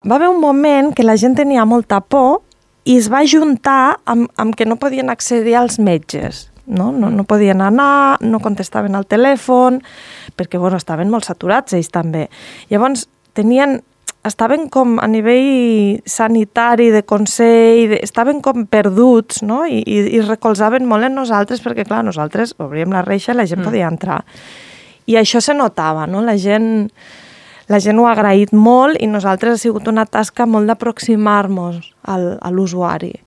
Va haver un moment que la gent tenia molta por i es va juntar amb que no podien accedir als metges. No podien anar, no contestaven al telèfon, perquè estaven molt saturats ells també. Llavors estaven com a nivell sanitari, de consell, estaven com perduts, no? I recolzaven molt en nosaltres, perquè clar, nosaltres obríem la reixa i la gent podia entrar. I això se notava, no? La gent ho ha agraït molt i nosaltres ha sigut una tasca molt d'aproximar-nos a l'usuari.